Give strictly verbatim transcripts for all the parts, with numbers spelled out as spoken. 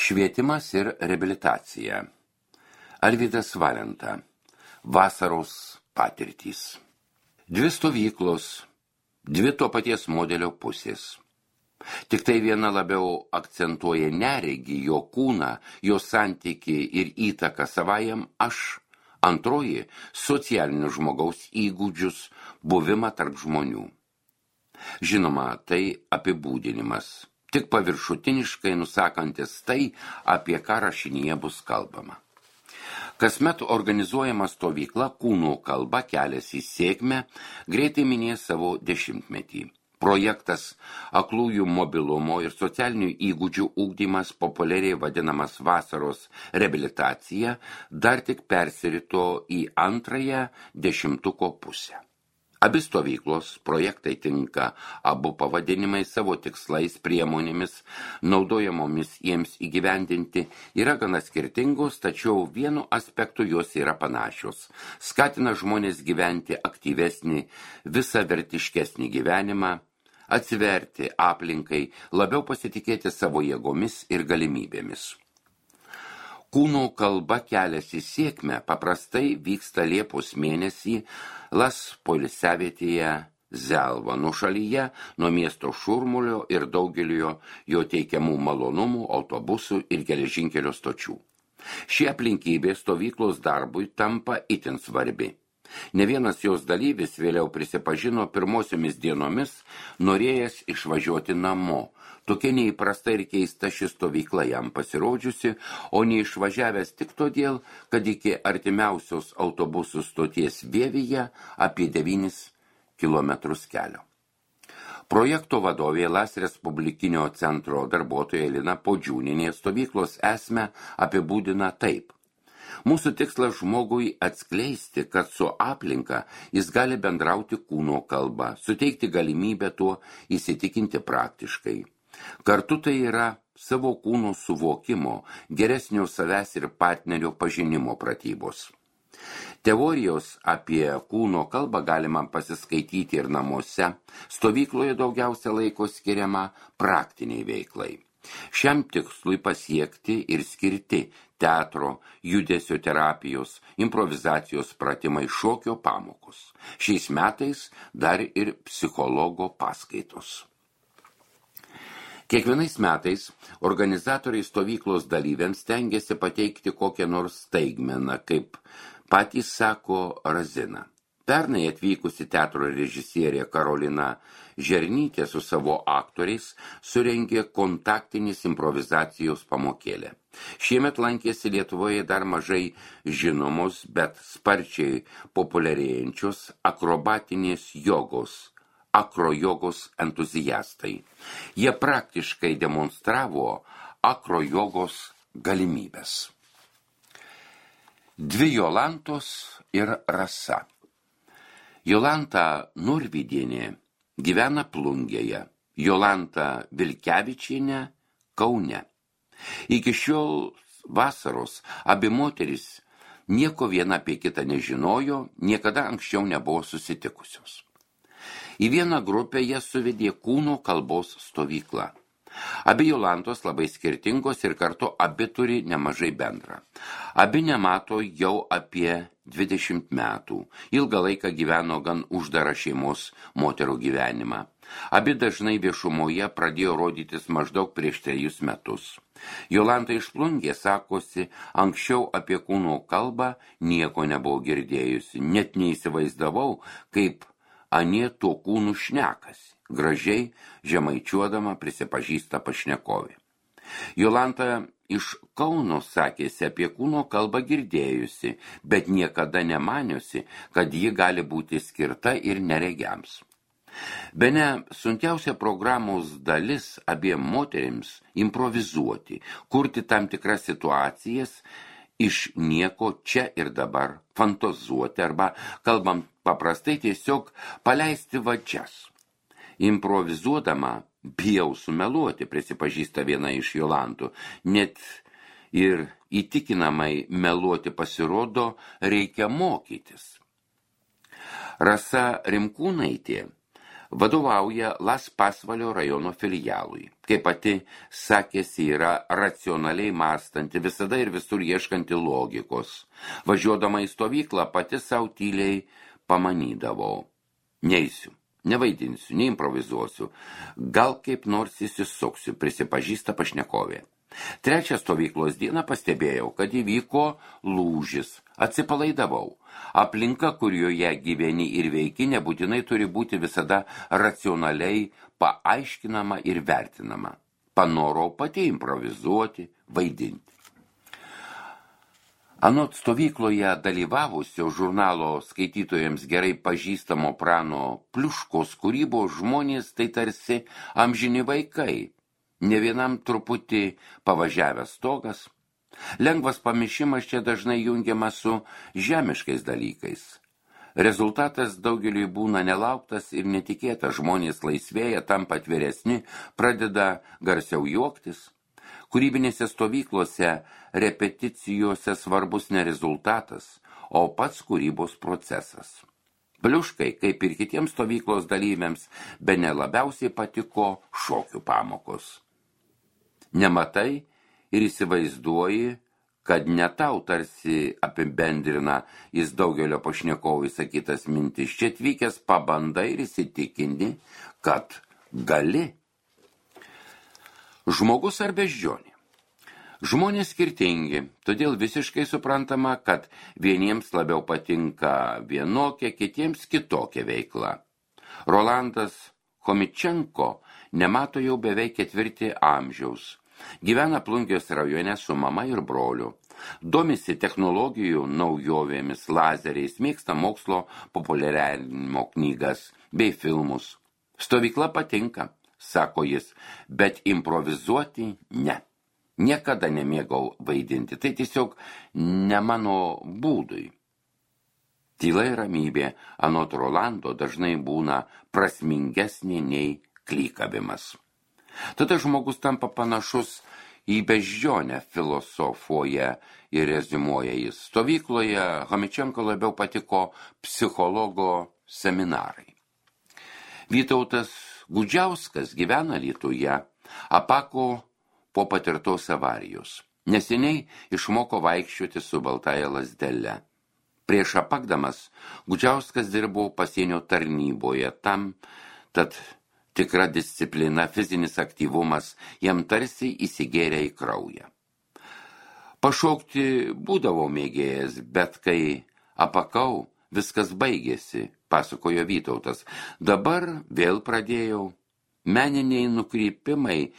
Švietimas ir reabilitacija. Alvydas Valenta. Vasaros patirtys. Dvi stovyklos, dvi to paties modelio pusės. Tik tai viena labiau akcentuoja neregį, jo kūną, jo santykį ir įtaką savajam aš, antroji socialinių žmogaus įgūdžius, buvimą tarp žmonių. Žinoma, tai apibūdinimas, tik paviršutiniškai nusakantis tai, apie ką rašinyje bus kalbama. Kasmet organizuojama stovykla Kūno kalba kelias į sėkmę greitai minės savo dešimtmetį. Projektas aklųjų mobilumo ir socialinių įgūdžių ugdymas, populiariai vadinamas vasaros reabilitacija, dar tik persirito į antrąją dešimtuko pusę. Abi stovyklos projektai tinka abu pavadinimai savo tikslais, priemonėmis, naudojamomis jiems įgyvendinti, yra gana skirtingos, tačiau vienu aspektu jos yra panašios. Skatina žmonės gyventi aktyvesnį, visavertiškesnį gyvenimą, atsiverti aplinkai, labiau pasitikėti savo jėgomis ir galimybėmis. Kūno kalba kelias į sėkmę paprastai vyksta Liepos mėnesį Las poilsiavietėje Zelva nušalyje nuo miesto šurmulio ir daugelio jo teikiamų malonumų, autobusų ir geležinkelio stočių. Ši aplinkybė stovyklos darbui tampa itin svarbi. Ne vienas jos dalyvis vėliau prisipažino pirmosiomis dienomis norėjęs išvažiuoti namo. Tokia neįprasta ir keista ši stovykla jam pasirodžiusi, o neišvažiavęs tik todėl, kad iki artimiausios autobusų stoties Vievyje apie devynis kilometrus kelio. Projekto vadovė Las Respublikinio centro darbuotoja Lina Podžiūnienė stovyklos esmę apibūdina taip. Mūsų tikslas žmogui atskleisti, kad su aplinka jis gali bendrauti kūno kalba, suteikti galimybę tuo įsitikinti praktiškai. Kartu tai yra savo kūno suvokimo, geresnio savęs ir partnerio pažinimo pratybos. Teorijos apie kūno kalbą galima pasiskaityti ir namuose, stovykloje daugiausia laiko skiriama praktiniai veiklai. Šiam tikslui pasiekti ir skirti teatro, judesio terapijos, improvizacijos pratimai, šokio pamokos. Šiais metais dar ir psichologo paskaitos. Kiekvienais metais organizatoriai stovyklos dalyviams stengiasi pateikti kokią nors staigmeną, kaip patys sako Razina. Pernai atvykusi teatro režisierė Karolina Žernytė su savo aktoriais surengė kontaktinis improvizacijos pamokėlę. Šiemet lankėsi Lietuvoje dar mažai žinomos, bet sparčiai populiarėjančios akrobatinės jogos, akrojogos entuziastai. Jie praktiškai demonstravo akrojogos galimybės. Dvi Jolantos ir Rasa. Jolanta Nurvydienė gyvena Plungėje, Jolanta Vilkevičienė Kaune. Iki šiol vasaros abi moterys nieko viena apie kitą nežinojo, niekada anksčiau nebuvo susitikusios. Į vieną grupę jie suvedė kūno kalbos stovyklą. Abi Jolantos labai skirtingos ir kartu abi turi nemažai bendra. Abi nemato jau apie dvidešimt metų. Ilgą laiką gyveno gan uždarą šeimos moterų gyvenimą. Abi dažnai viešumoje pradėjo rodytis maždaug prieš trejus metus. Jolanta iš Plungės sakosi, anksčiau apie kūno kalbą nieko nebuvo girdėjusi, net neįsivaizdavau, kaip anie tuo kūnu šnekasi. Gražiai, žemaičiuodama prisipažįsta pašnekovė. Jolanta iš Kauno sakėsi apie kūno kalbą girdėjusi, bet niekada nemaniusi, kad ji gali būti skirta ir neregiams. Bene sunkiausia programos dalis abiem moterims improvizuoti, kurti tam tikras situacijas iš nieko čia ir dabar, fantazuoti arba, kalbam paprastai, tiesiog paleisti vadžias. Improvizuodama bijau sumeluoti, prisipažįsta viena iš Jolantų, net ir įtikinamai meluoti pasirodo reikia mokytis. Rasa Rimkūnaitė Vadovauja Las Pasvalio rajono filialui. Kaip pati sakėsi, yra racionaliai mąstanti, visada ir visur ieškanti logikos. Važiuodama į stovyklą pati savo tyliai pamanydavau. Neisiu, nevaidinsiu, neimprovizuosiu, gal kaip nors įsisuksiu, prisipažįsta pašnekovė. Trečią stovyklos dieną pastebėjau, kad įvyko lūžis, atsipalaidavau. Aplinka, kurioje gyveni ir veiki, nebūtinai turi būti visada racionaliai paaiškinama ir vertinama. Panorau pati improvizuoti, vaidinti. Anot stovykloje dalyvavusio žurnalo skaitytojams gerai pažįstamo Prano Pliuškos kūrybos žmonės tai tarsi amžini vaikai, ne vienam truputį pavažiavęs stogas. Lengvas pamišimas čia dažnai jungiamas su žemiškais dalykais. Rezultatas daugeliui būna nelauktas ir netikėtas, žmonės laisvėja, tampa atviresni, pradeda garsiau juoktis. Kūrybinėse stovyklose, repeticijose svarbus ne rezultatas, o pats kūrybos procesas. Pliuškai, kaip ir kitiems stovyklos dalyviams, bene labiausiai patiko šokių pamokos. Nematai ir įsivaizduoji, kad ne tau tarsi apibendrina jis daugelio pašnekovų įsakytas mintis. Čia atvykęs pabandai ir įsitikinti, kad gali. Žmogus ar beždžionė? Žmonės skirtingi, todėl visiškai suprantama, kad vieniems labiau patinka vienokia, kitiems kitokia veikla. Rolandas Chomičenko nemato jau beveik ketvirtį amžiaus. Gyvena Plungės rajone su mama ir broliu. Domisi technologijų naujovėmis, lazeriais, mėgsta mokslo populiarinimo knygas bei filmus. Stovykla patinka, sako jis, bet improvizuoti ne. Niekada nemėgau vaidinti, tai tiesiog ne mano būdui. Tyla ir ramybė anot Rolando dažnai būna prasmingesnė nei klykavimas. Tada žmogus tampa panašus į beždžionę, filosofuoja ir rezimuoja jis. Stovykloje Chomičenko labiau patiko psichologo seminarai. Vytautas Gudžiauskas gyvena Alytuje, apako po patirtos avarijos. Neseniai išmoko vaikščioti su baltaja lazdele. Prieš apakdamas Gudžiauskas dirbo pasienio tarnyboje, tam, tad tikra disciplina, fizinis aktyvumas jam tarsi įsigėrė į kraują. Pašokti būdavo mėgėjas, bet kai apakau, viskas baigėsi, pasakojo Vytautas. Dabar vėl pradėjau. Meniniai nukrypimai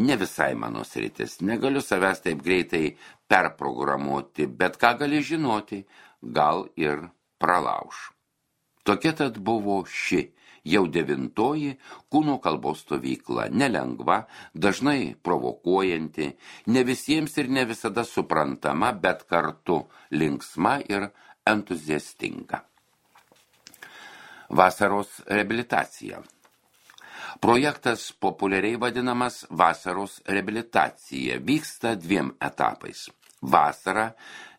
ne visai mano sritis. Negaliu savęs taip greitai perprogramuoti, bet ką gali žinoti, gal ir pralauš. Tokia tad buvo ši, jau devintoji kūno kalbos stovykla, nelengva, dažnai provokuojanti, ne visiems ir ne visada suprantama, bet kartu linksma ir entuziastinga. Vasaros reabilitacija. Projektas populiariai vadinamas vasaros reabilitacija vyksta dviem etapais. Vasarą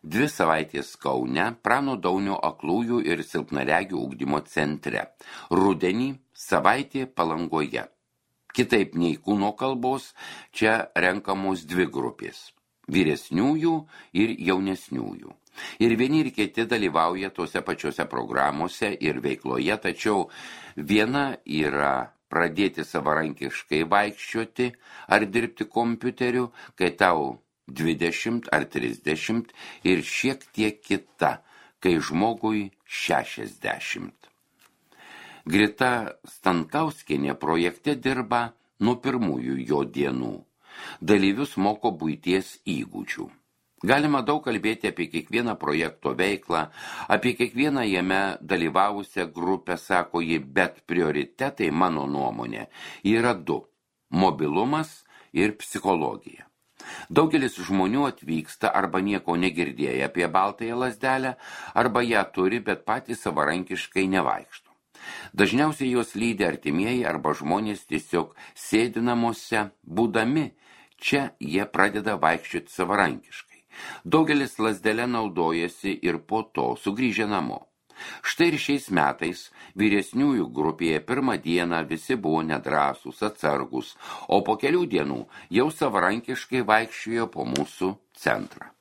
dvi savaitės Kaune, Prano Daunio aklųjų ir silpnaregių ugdymo centre. Rudenį savaitė Palangoje. Kitaip nei kūno kalbos, čia renkamos dvi grupės – vyresniųjų ir jaunesniųjų. Ir vieni ir kiti dalyvauja tose pačiose programuose ir veikloje, tačiau viena yra pradėti savarankiškai vaikščioti ar dirbti kompiuteriu, kai tau dvidešimt ar trisdešimt ir šiek tiek kita, kai žmogui šešiasdešimt. Grita Stankauskienė projekte dirba nuo pirmųjų jo dienų. Dalyvius moko buities įgūdžių. Galima daug kalbėti apie kiekvieną projekto veiklą, apie kiekvieną jame dalyvavusią grupę, sako ji, bet prioritetai, mano nuomonė, yra du – mobilumas ir psichologija. Daugelis žmonių atvyksta arba nieko negirdėję apie baltąją lazdelę, arba ją turi, bet patys savarankiškai nevaikšto. Dažniausiai jos lydi artimieji arba žmonės tiesiog sėdi namuose, būdami, čia jie pradeda vaikščioti savarankiškai. Daugelis lazdelę naudojasi ir po to sugrįžę namo. Štai ir šiais metais vyresniųjų grupėje pirmą dieną visi buvo nedrąsūs, atsargus, o po kelių dienų jau savarankiškai vaikščiojo po mūsų centrą.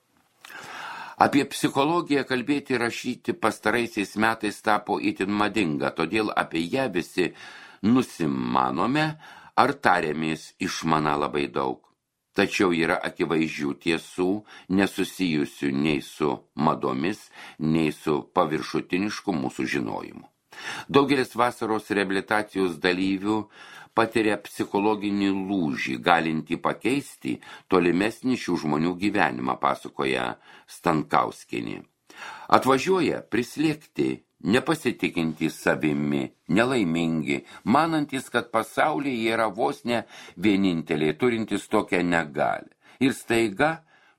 Apie psichologiją kalbėti ir rašyti pastaraisiais metais tapo itin madinga, todėl apie ją visi nusimanome ar tarėmės išmana labai daug. Tačiau yra akivaizdžių tiesų, nesusijusių nei su madomis, nei su paviršutinišku mūsų žinojimu. Daugelis vasaros reabilitacijos dalyvių patiria psichologinį lūžį, galintį pakeisti tolimesnį šių žmonių gyvenimą, pasakoja Stankauskienė. Atvažiuoja prislėgti, nepasitikintys savimi, nelaimingi, manantys, kad pasaulyje yra vos ne vieninteliai, turintys tokią negalią. Ir staiga,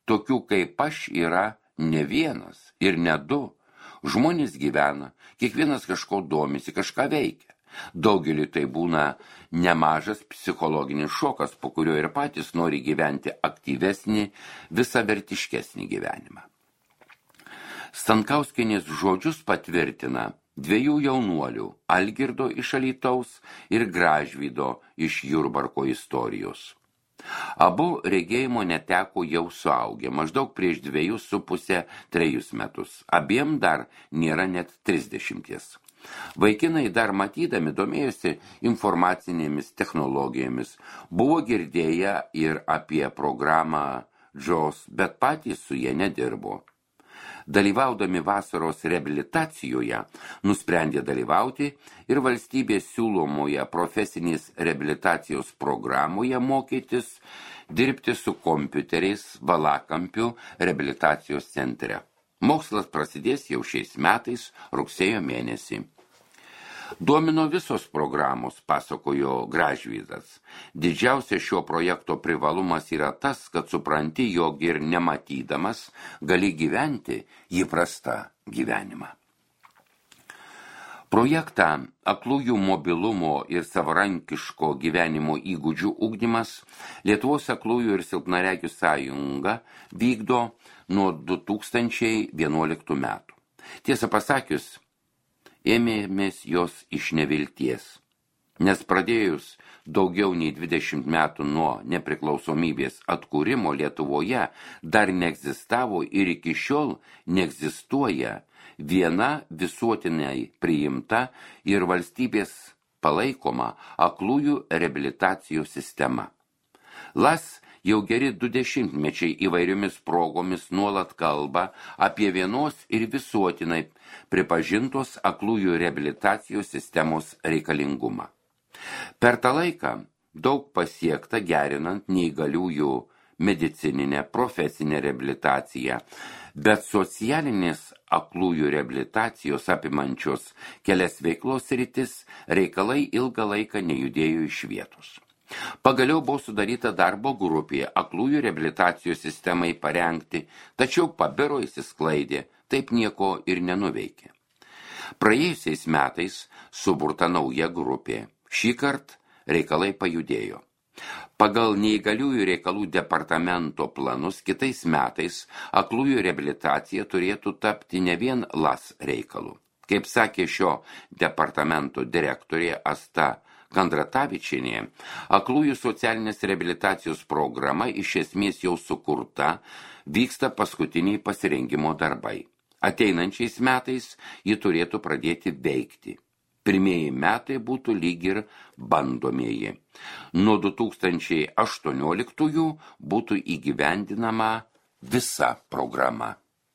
tokių kaip aš yra ne vienas ir ne du. Žmonės gyvena, kiekvienas kažko domisi, kažką veikia. Daugeliui tai būna nemažas psichologinis šokas, po kurio ir patys nori gyventi aktyvesnį, visavertiškesnį gyvenimą. Stankauskienės žodžius patvirtina dviejų jaunuolių, Algirdo iš Alytaus ir Gražvydo iš Jurbarko istorijos. Abu regėjimo neteko jau suaugę, maždaug prieš dviejus su pusę trejus metus. Abiem dar nėra net trisdešimties. Vaikinai dar matydami domėjosi informacinėmis technologijomis, buvo girdėję ir apie programą džos, bet patys su jie nedirbo. Dalyvaudami vasaros reabilitacijoje, nusprendė dalyvauti ir valstybės siūlomoje profesinės reabilitacijos programoje mokytis dirbti su kompiuteriais Valakampių reabilitacijos centre. Mokslas prasidės jau šiais metais rugsėjo mėnesį. Domino visos programos, pasakojo Gražvydas. Didžiausia šio projekto privalumas yra tas, kad supranti, jog ir nematydamas gali gyventi įprastą gyvenimą. Projektą aklųjų mobilumo ir savarankiško gyvenimo įgūdžių ugdymas Lietuvos aklųjų ir silpnaregių sąjunga vykdo nuo du tūkstančiai vienuoliktų metų. Tiesą pasakius, ėmėmės jos iš nevilties, nes pradėjus daugiau nei dvidešimt metų nuo nepriklausomybės atkūrimo Lietuvoje dar neegzistavo ir iki šiol neegzistuoja viena visuotinai priimta ir valstybės palaikoma aklųjų reabilitacijos sistema. Las jau geri du dešimtmečiai įvairiomis progomis nuolat kalba apie vienos ir visuotinai pripažintos aklųjų reabilitacijos sistemos reikalingumą. Per tą laiką daug pasiekta gerinant neįgaliųjų medicininę profesinę reabilitaciją, bet socialinės aklųjų reabilitacijos apimančios kelias veiklos sritis reikalai ilgą laiką nejudėjo iš vietos. Pagaliau buvo sudaryta darbo grupė aklųjų reabilitacijos sistemai parengti, tačiau pabiro įsisklaidė, taip nieko ir nenuveikė. Praėjusiais metais suburta nauja grupė. Šįkart reikalai pajudėjo. Pagal neįgaliųjų reikalų departamento planus kitais metais aklųjų reabilitacija turėtų tapti ne vien las reikalu. Kaip sakė šio departamento direktorė Asta Kandratavičienė, aklųjų socialinės reabilitacijos programa iš esmės jau sukurta, vyksta paskutiniai pasirengimo darbai. Ateinančiais metais ji turėtų pradėti veikti. Pirmieji metai būtų lyg ir bandomieji. Nuo du tūkstančiai aštuonioliktųjų būtų įgyvendinama visa programa.